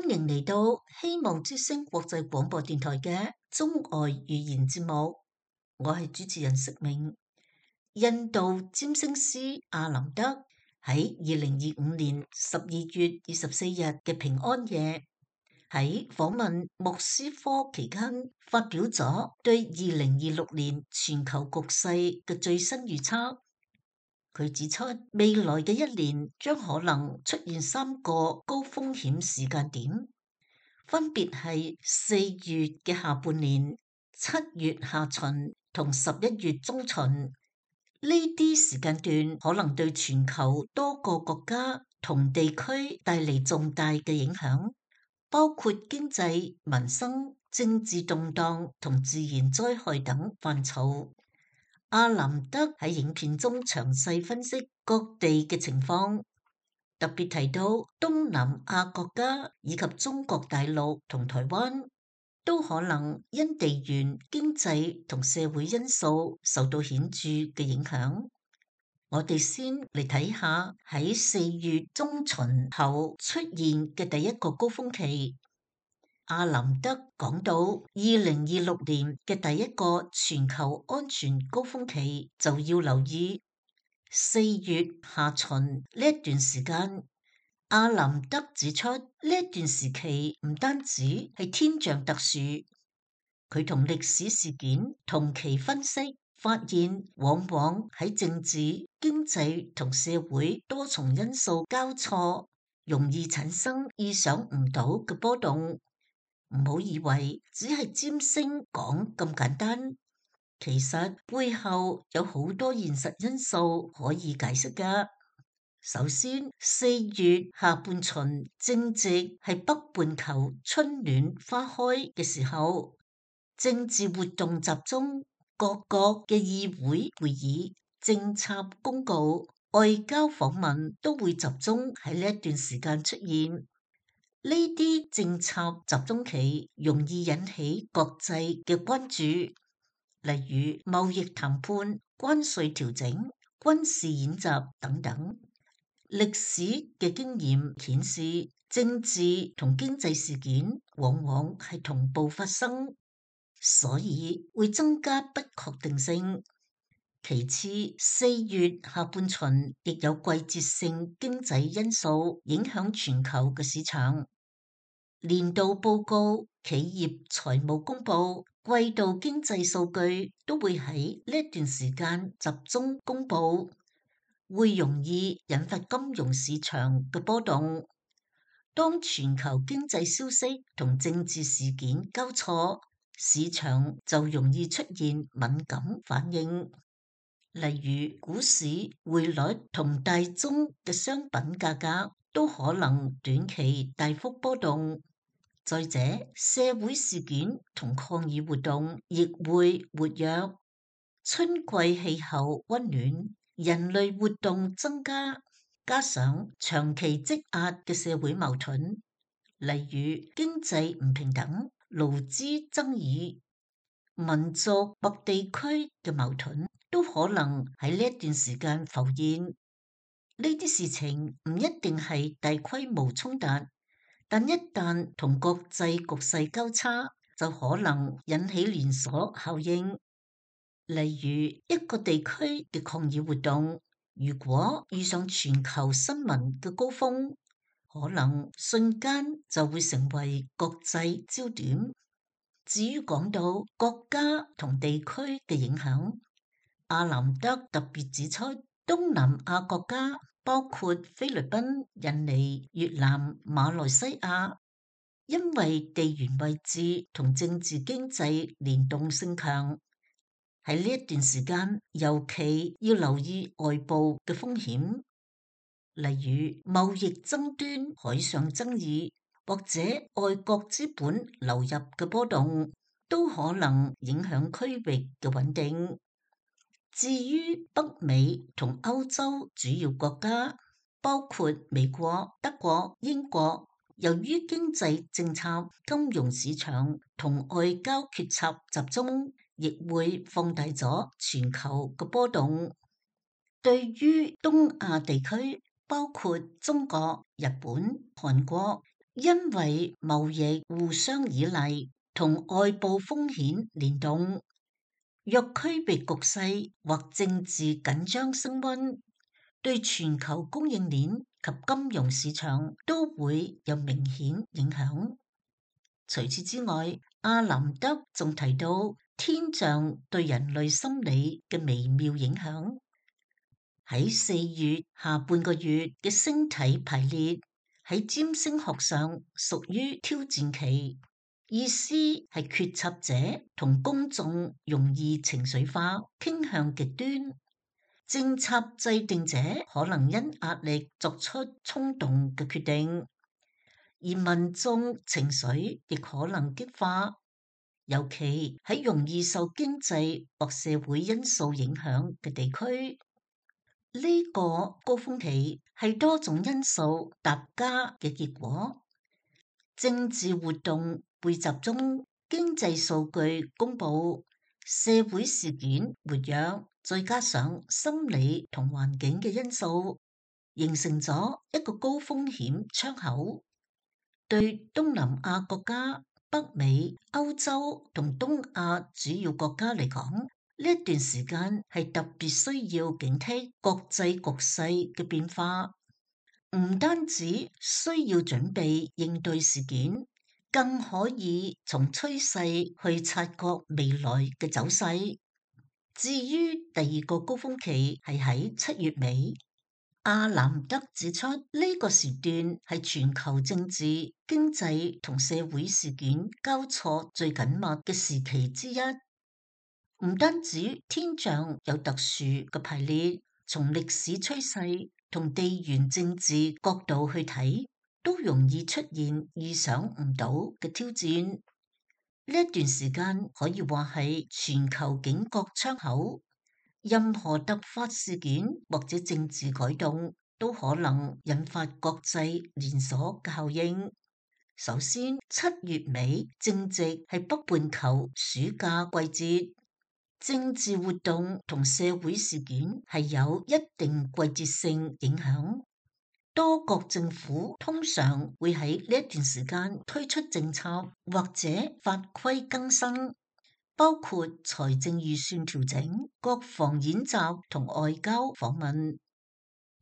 歡迎嚟到希望之聲國際廣播電台嘅中外語言節目，我係主持人釋明。印度占星師阿林德喺2025年12月24日嘅平安夜，喺訪問莫斯科期間發表咗對2026年全球局勢嘅最新預測。佢指出，未來嘅一年將可能出現3個高風險時間點，分別係4月嘅下半年、7月下旬同11月中旬。呢啲時間段可能對全球多個國家同地區帶嚟重大嘅影響，包括經濟、民生、政治動盪同自然災害等範疇。阿林德喺影片中詳細分析各地嘅情況，特別提到東南亞國家以及中國大陸同台灣都可能因地緣、經濟同社會因素受到顯著嘅影響。我哋先嚟睇下喺4月中旬後出現嘅第一個高峰期。阿林德講到，2026年嘅第一個全球安全高峰期就要留意4月下旬呢一段時間。阿林德指出，呢一段時期唔單止係天象特殊，佢同歷史事件同期分析，發現往往喺政治、經濟同社會多重因素交錯，容易產生意想唔到嘅波動。唔好以為只係占星講咁簡單，其實背後有好多現實因素可以解釋㗎。首先，4月下半旬正值係北半球春暖花開嘅時候，政治活動集中，各國嘅議會會議、政策公告、外交訪問都會集中喺呢一段時間出現。呢啲政策集中期容易引起國際嘅關注，例如貿易談判、關稅調整、軍事演習等等。歷史嘅經驗顯示，政治同經濟事件往往係同步發生，所以會增加不確定性。其次，4月下半旬亦有季節性經濟因素影響全球嘅市場。年度報告、企業財務公佈、季度經濟數據都會喺呢一段時間集中公佈，會容易引發金融市場嘅波動。當全球經濟消息同政治事件交錯，市場就容易出現敏感反應，例如股市、匯率同大宗嘅商品價格都可能短期大幅波動。再者，社會事件同抗議活動亦會活躍。春季氣候溫暖，人類活動增加，加上長期積壓嘅社會矛盾，例如經濟唔平等、勞資爭議、民族或地區嘅矛盾，都可能喺呢一段時間浮現。呢啲事情唔一定係大規模衝突，但一旦同國際局勢交叉，就可能引起連鎖效應。例如一個地區嘅抗議活動，如果遇上全球新聞嘅高峰，可能瞬間就會成為國際焦點。至於講到國家同地區嘅影響，阿林德特別指出，東南亞國家包括菲律賓、印尼、越南、馬來西亞，因為地緣位置同政治經濟聯動性強，喺呢一段時間尤其要留意外部嘅風險，例如貿易爭端、海上爭議或者外國資本流入嘅波動，都可能影響區域嘅穩定。至於北美同歐洲主要國家，包括美國、德國、英國，由於經濟政策、金融市場同外交決策集中，亦會放大咗全球嘅波動。對於東亞地區，包括中國、日本、韓國、因為貿易互相依賴同外部風險聯動，若區域局勢或政治緊張升溫，對全球供應鏈及金融市場都會有明顯影響。除此之外，阿南德仲提到天象對人類心理嘅微妙影響。喺4月下半個月嘅星體排列喺占星學上屬於挑戰期，意思係決策者同公眾容易情緒化，傾向極端。政策制定者可能因壓力作出衝動嘅決定，而民眾情緒亦可能激化，尤其喺容易受經濟或社會因素影響嘅地區。呢個高峰期係多種因素疊加嘅結果，政治活動會集中，經濟數據公佈，社會事件活躍，再加上心理同環境嘅因素，形成咗一個高風險窗口。對東南亞國家、北美、歐洲同東亞主要國家嚟講，呢一段時間係特別需要警惕國際局勢嘅變化，唔單止需要準備應對事件，更可以從趨勢去察覺未來嘅走勢。至於第二個高峰期係喺7月尾。阿南德指出，呢個時段係全球政治、經濟同社會事件交錯最緊密嘅時期之一。唔單止天象有特殊嘅排列，從歷史趨勢同地緣政治角度去睇，都容易出現意想唔到嘅挑戰。呢一段時間可以話係全球警覺窗口。任何突發事件或者政治改動都可能引發國際連鎖嘅效應。首先，7月尾正值係北半球暑假季節，政治活動同社會事件係有一定季節性影響。多國政府通常會喺呢一段時間推出政策或者法規更新，包括財政預算調整、國防演習同外交訪問。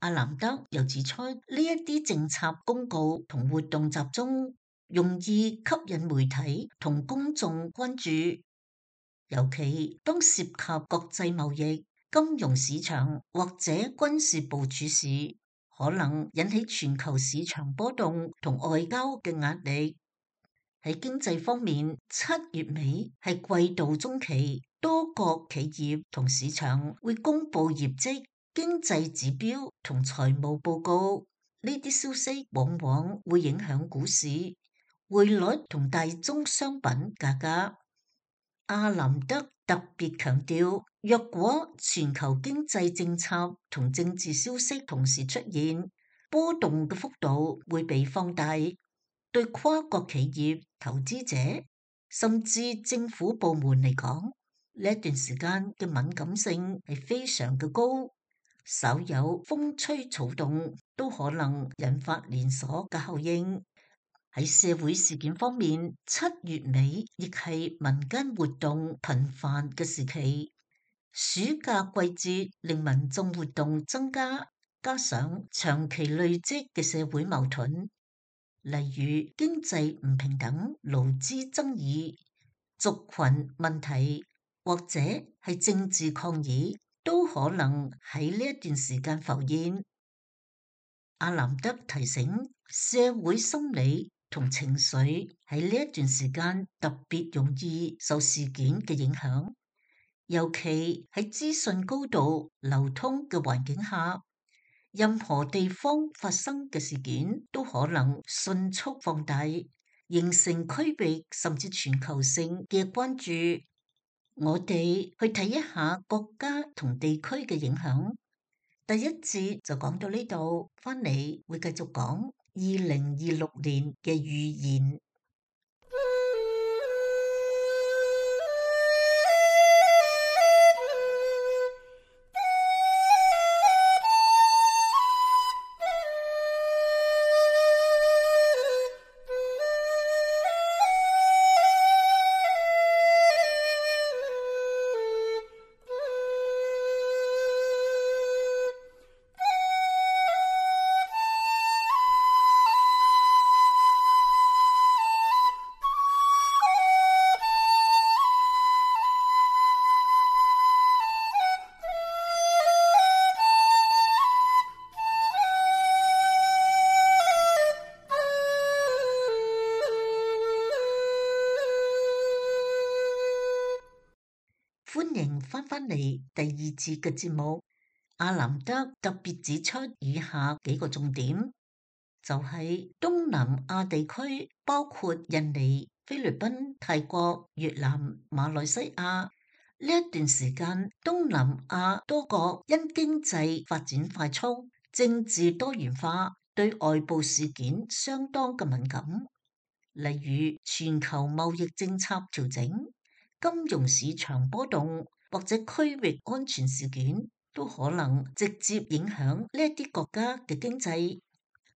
阿南德又指出，呢一啲政策公告同活動集中，容易吸引媒體同公眾關注，尤其當涉及國際貿易、金融市場或者軍事部署時，可能引起全球市場波動同外交嘅壓力。喺經濟方面，7月尾係季度中期，多國企業同市場會公布業績、經濟指標同財務報告。呢啲消息往往會影響股市、匯率同大宗商品價格。阿南德特別強調，若果全球經濟政策同政治消息同時出現，波動嘅幅度會被放大。對跨國企業、投資者甚至政府部門嚟講，呢一段時間嘅敏感性係非常嘅高，稍有風吹草動都可能引發連鎖嘅效應。喺社會事件方面，7月尾亦係民間活動頻繁嘅時期，暑假季節令民眾活動增加，加上長期累積嘅社會矛盾，例如經濟唔平等、勞資爭議、族群問題或者係政治抗議，都可能喺呢一段時間浮現。阿南德提醒，社會心理同情緒喺呢一段時間特別容易受事件嘅影響，尤其喺資訊高度流通嘅環境下。任何地方發生嘅事件都可能迅速放大，形成區域甚至全球性嘅關注。我哋去睇一下國家同地區嘅影響。第一節就講到呢度，返嚟會繼續講2026年嘅預言。翻嚟第二節嘅節目，阿南德特別指出以下幾個重點，就係東南亞地區包括印尼、菲律賓、泰國、越南、馬來西亞。呢一段時間，東南亞多國因經濟發展快速、政治多元化，對外部事件相當嘅敏感，例如全球貿易政策調整、金融市場波動或者區域安全事件，都可能直接影響呢一啲國家嘅經濟、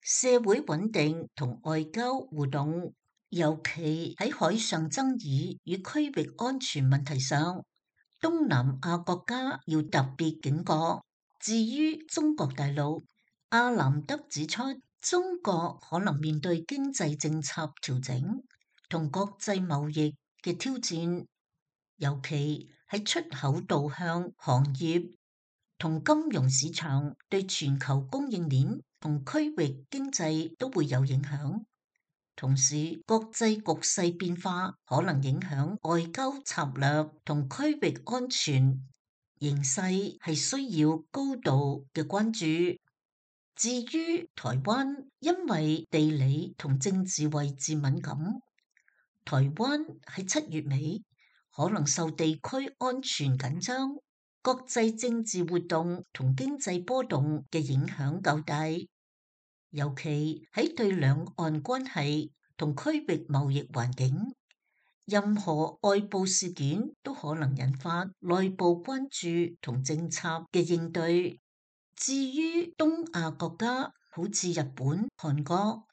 社會穩定同外交互動，尤其喺海上爭議與區域安全問題上。東南亞國家要特別警覺。至於中國大陸，阿南德指出，中國可能面對經濟政策調整同國際貿易嘅挑戰，尤其喺出口導向行業同金融市場，對全球供應鏈同區域經濟都會有影響。同時，國際局勢變化可能影響外交策略同區域安全形勢，係需要高度嘅關注。至於台灣，因為地理同政治位置敏感，台灣喺7月尾可能受地區安全緊張、國際政治活動同經濟波動嘅影響較大。尤其喺對兩岸關係同區域貿易環境，任何外部事件都可能引發內部關注同政策嘅應對。至於東亞國家，好似日本、韓國，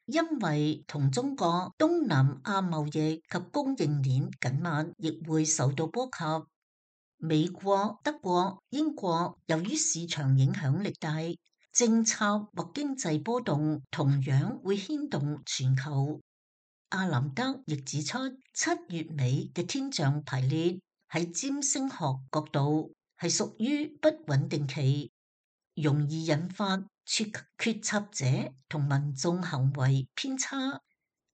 因為同中國東南亞貿易及供應鏈緊密，亦會受到波及。美國、德國、英國由於市場影響力大，政策或經濟波動同樣會牽動全球。阿南德亦指出，7月尾嘅天象排列喺占星學角度係屬於不穩定期，容易引發決策者同民眾行為偏差。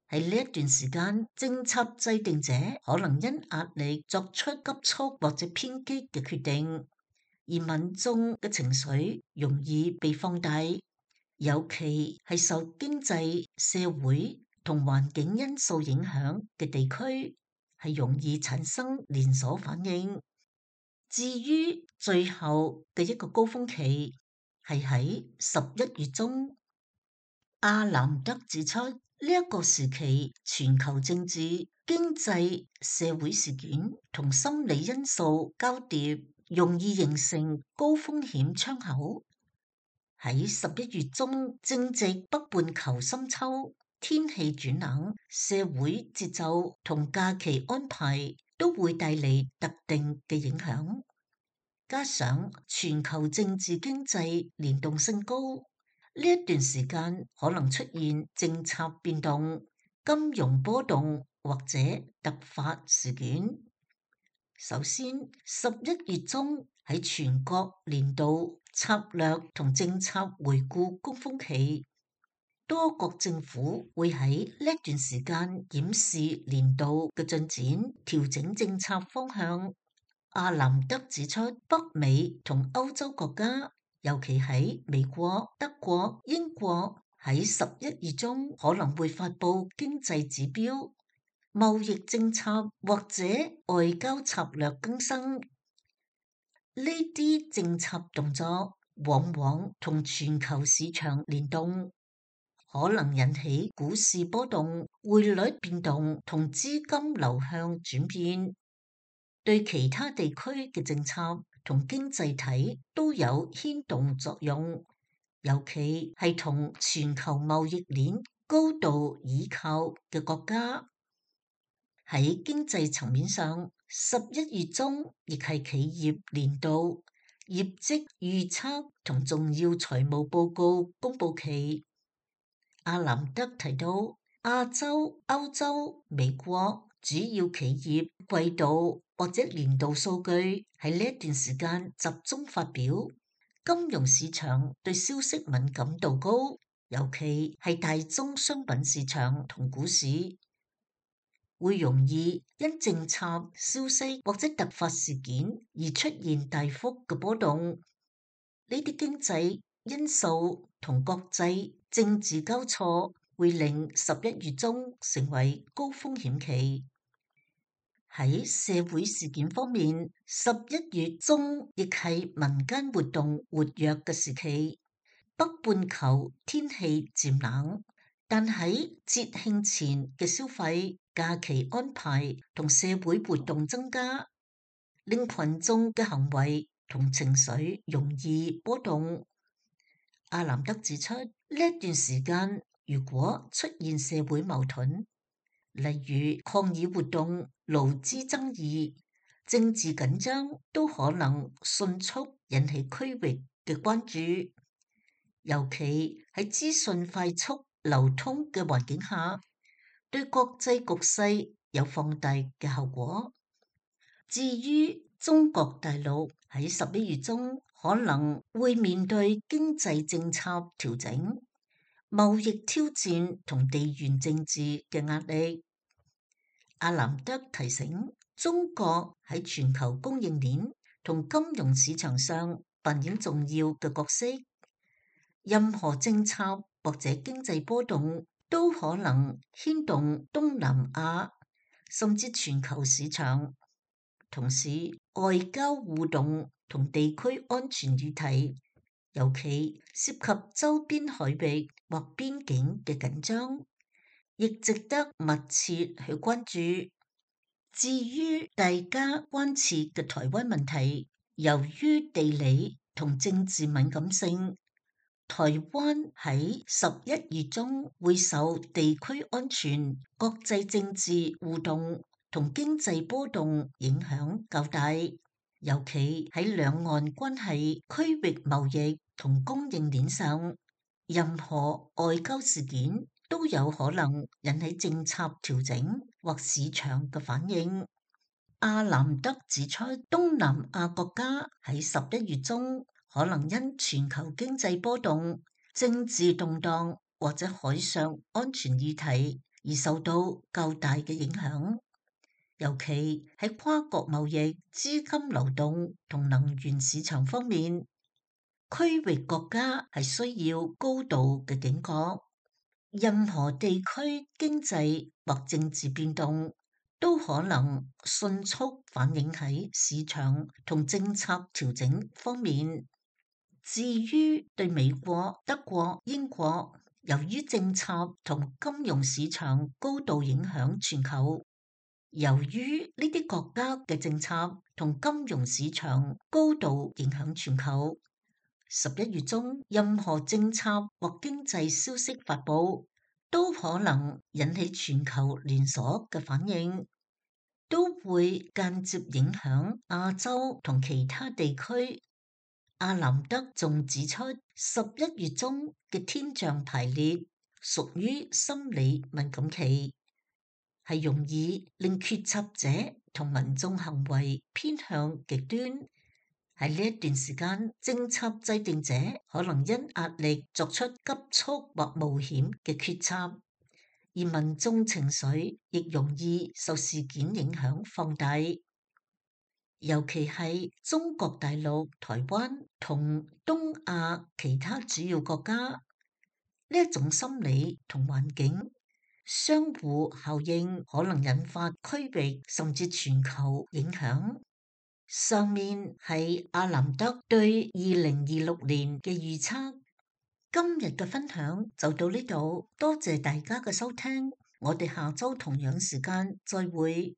喺呢一段時間，政策制定者可能因壓力作出急促或者偏激嘅決定。而民眾嘅情緒容易被放大，尤其係受經濟、社會同環境因素影響嘅地區，係容易產生連鎖反應。至於最後嘅一個高峰期，係喺11月中。阿南德指出，呢一個時期全球政治、經濟、社會事件同心理因素交疊，容易形成高風險窗口。喺11月中，正值北半球深秋，天氣轉冷，社會節奏同假期安排都會帶嚟特定嘅影響。加上全球政治經濟連動性高，呢一段時間可能出現政策變動、金融波動或者突發事件。首先，11月中喺全國年度策略同政策回顧高峰期，多國政府會喺呢段時間檢視年度嘅進展，調整政策方向。阿南德指出，北美同歐洲國家，尤其喺美國、德國、英國，喺11月中可能會發布經濟指標、貿易政策或者外交策略更新。呢啲政策動作往往同全球市場聯動，可能引起股市波動、匯率變動同資金流向轉變，對其他地區嘅政策同經濟體都有牽動作用，尤其係同全球貿易鏈高度依靠嘅國家。喺經濟層面上，11月中亦係企業年度業績預測同重要財務報告公布期。阿南德提到，亞洲、歐洲、美國主要企業季度或者年度數據喺呢一段時間集中發表，金融市場對消息敏感度高，尤其係大宗商品市場同股市。會容易因政策消息或者突發事件而出現大幅嘅波動。呢啲經濟因素同國際政治交錯，會令11月中成為高風險期。喺社會事件方面，11月中亦係民間活動活躍嘅時期。北半球天氣漸冷，但喺節慶前嘅消費、假期安排同社會活動增加，令群眾嘅行為同情緒容易波動。阿南德指出，呢一段時間如果出現社會矛盾，例如抗議活動、勞資爭議、政治緊張，都可能迅速引起區域嘅關注。尤其喺資訊快速流通嘅環境下，對國際局勢有放大嘅效果。至於中國大陸喺11月中可能會面對經濟政策調整、貿易挑戰同地緣政治嘅壓力。阿南德提醒，中國喺全球供應鏈同金融市場上扮演重要嘅角色。任何政策或者經濟波動都可能牽動東南亞甚至全球市場。同時，外交互動同地區安全議題，尤其涉及周邊海域或邊境嘅緊張，亦值得密切去關注。至於大家關切嘅台灣問題，由於地理同政治敏感性，台灣喺11月中會受地區安全、國際政治互動同經濟波動影響較大，尤其喺兩岸關係、區域貿易同供應鏈上，任何外交事件都有可能引起政策調整或市場嘅反應。阿南德指出，東南亞國家喺11月中可能因全球經濟波動、政治動盪或者海上安全議題而受到較大嘅影響，尤其喺跨國貿易、資金流動同能源市場方面，區域國家係需要高度嘅警覺。任何地區經濟或政治變動都可能迅速反映喺市場同政策調整方面。至於對美國、德國、英國，由於政策同金融市場高度影響全球，由於呢啲國家嘅政策同金融市場高度影響全球，11月中任何政策或經濟消息發佈，都可能引起全球連鎖嘅反應，都會間接影響亞洲同其他地區。阿南德仲指出，11月中嘅天象排列屬於心理敏感期，係容易令決策者同民眾行為偏向極端。喺呢一段時間，政策制定者可能因壓力作出急速或冒險嘅決策，而民眾情緒亦容易受事件影響放大。尤其係中國大陸、台灣同東亞其他主要國家，呢一種心理同環境相互效應，可能引發區域甚至全球影響。上面係阿南德對2026年嘅預測。今日嘅分享就到呢度，多謝大家嘅收聽，我哋下周同樣時間再會。